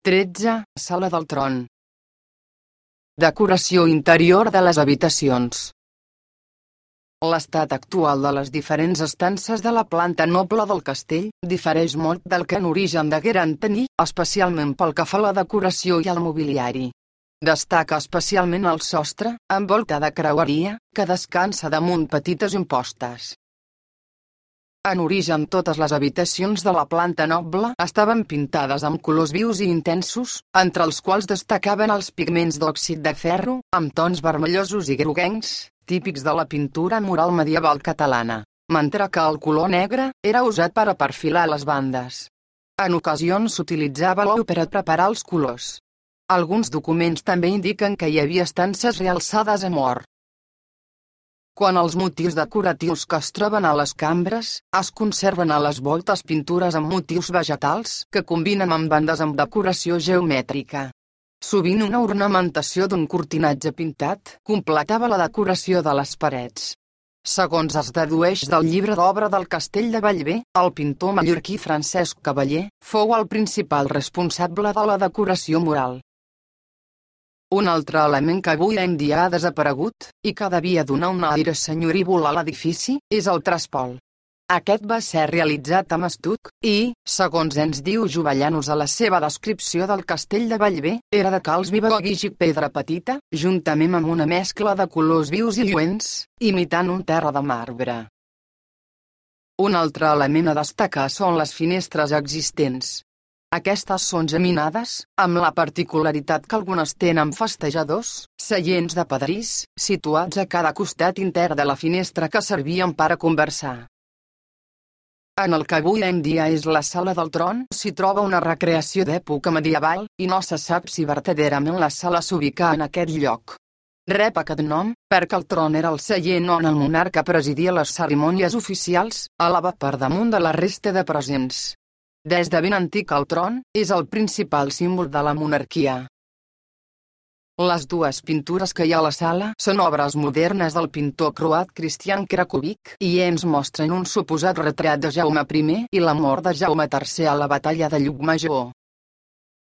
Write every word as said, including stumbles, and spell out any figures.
tretze. Sala del tron. Decoració interior de les habitacions. L'estat actual de les diferents estances de la planta noble del castell difereix molt del que en origen degueren tenir, especialment pel que fa a la decoració i al mobiliari. Destaca especialment el sostre, amb volta de creueria, que descansa damunt petites impostes. En origen totes les habitacions de la planta noble estaven pintades amb colors vius i intensos, entre els quals destacaven els pigments d'òxid de ferro, amb tons vermellosos i groguencs, típics de la pintura mural medieval catalana, mentre que el color negre era usat per a perfilar les bandes. En ocasions s'utilitzava l'ou per a preparar els colors. Alguns documents també indiquen que hi havia estances realçades amb or. Quan els motius decoratius que es troben a les cambres, es conserven a les voltes pintures amb motius vegetals que combinen amb bandes amb decoració geomètrica. Sovint una ornamentació d'un cortinatge pintat completava la decoració de les parets. Segons es dedueix del llibre d'obra del Castell de Bellver, el pintor mallorquí Francesc Cavaller fou el principal responsable de la decoració mural. Un altre element que avui en dia ha desaparegut, i que devia donar un aire senyorívol a l'edifici, és el trespol. Aquest va ser realitzat amb estuc, i, segons ens diu Jovellanos a la seva descripció del Castell de Bellver, era de calç viva o guix i pedra petita, juntament amb una mescla de colors vius i lluents, imitant un terra de marbre. Un altre element a destacar són les finestres existents. Aquestes són geminades, amb la particularitat que algunes tenen festejadors, seients de pedrís, situats a cada costat intern de la finestra que servien per a conversar. En el que avui en dia és la sala del tron s'hi troba una recreació d'època medieval, i no se sap si vertaderament la sala s'ubica en aquest lloc. Rep aquest nom perquè el tron era el seient on el monarca presidia les cerimònies oficials, elevat per damunt de la resta de presents. Des de ben antic el tron és el principal símbol de la monarquia. Les dues pintures que hi ha a la sala són obres modernes del pintor croat Cristian Krakovic i ens mostren un suposat retrat de Jaume primer i la mort de Jaume tercer a la batalla de Llucmajor.